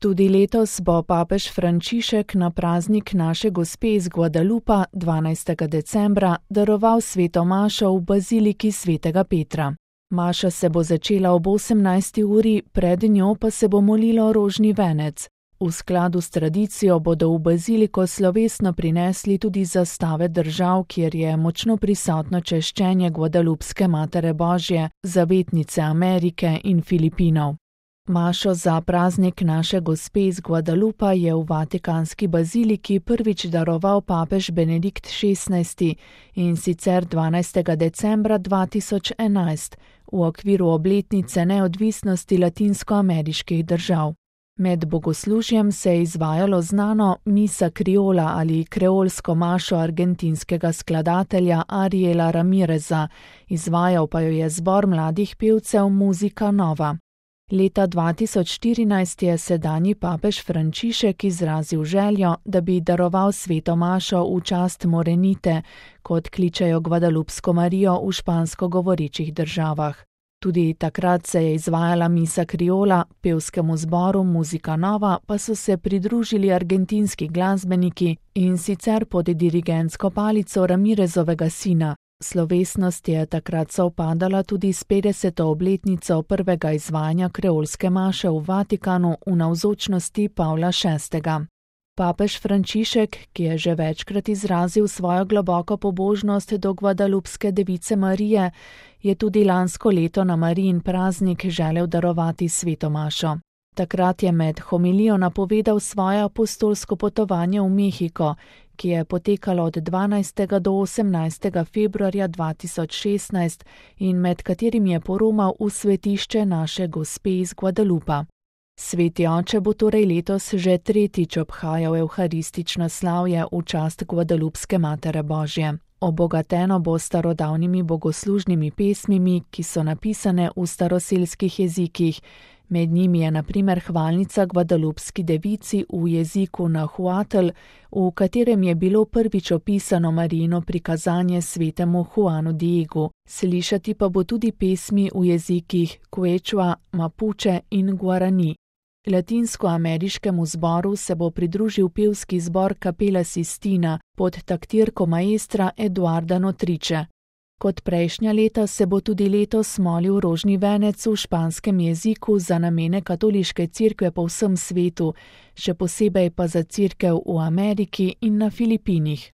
Tudi letos bo papež Frančišek na praznik Naše gospe iz Guadalupa 12. decembra daroval sveto mašo v baziliki svetega Petra. Maša se bo začela ob 18. uri, pred njo pa se bo molilo rožni venec. V skladu s tradicijo bodo v baziliko slovesno prinesli tudi zastave držav, kjer je močno prisotno češčenje Guadalupske Matere Božje, zavetnice Amerike in Filipinov. Mašo za praznik Naše gospe iz Guadalupa je v Vatikanski baziliki prvič daroval papež Benedikt XVI in sicer 12. decembra 2011 v okviru obletnice neodvisnosti latinskoameriških držav. Med bogoslužjem se je izvajalo znano misa kriola ali kreolsko mašo argentinskega skladatelja Ariela Ramireza, izvajal pa jo je zbor mladih pevcev Muzika Nova. Leta 2014 je sedanji papež Frančišek izrazil željo, da bi daroval sveto mašo v čast Morenite, kot kličejo Guadalupsko Marijo v špansko govorečih državah. Tudi takrat se je izvajala misa kriola, pevskemu zboru Muzika Nova pa so se pridružili argentinski glasbeniki in sicer pod dirigentsko palico Ramirezovega sina. Slovesnost je takrat sovpadala tudi s 50. obletnico prvega izvajanja kreolske maše v Vatikanu v navzočnosti Pavla VI. Papež Frančišek, ki je že večkrat izrazil svojo globoko pobožnost do Guadalupske device Marije, je tudi lansko leto na Marijin praznik želel darovati sveto mašo. Takrat je med homilijo napovedal svoje apostolsko potovanje v Mehiko, ki je potekalo od 12. do 18. februarja 2016 in med katerim je poromal v svetišče Naše gospe iz Guadalupa. Sveti oče bo torej letos že tretjič obhajal evharistično slavje v čast Guadalupske Matere Božje. Obogateno bo starodavnimi bogoslužnimi pesmimi, ki so napisane v staroselskih jezikih. Med njimi je na primer hvalnica Guadalupski devici v jeziku Nahuatl, v katerem je bilo prvič opisano Marijino prikazanje svetemu Juanu Diegu. Slišati pa bo tudi pesmi v jezikih Quechua, Mapuche in Guarani. Latinskoameriškemu zboru se bo pridružil pevski zbor Capela Sistina pod taktirko maestra Eduarda Notriče. Kot prejšnja leta se bo tudi letos molil rožni venec v španskem jeziku za namene katoliške cerkve po vsem svetu, še posebej pa za cerkev v Ameriki in na Filipinih.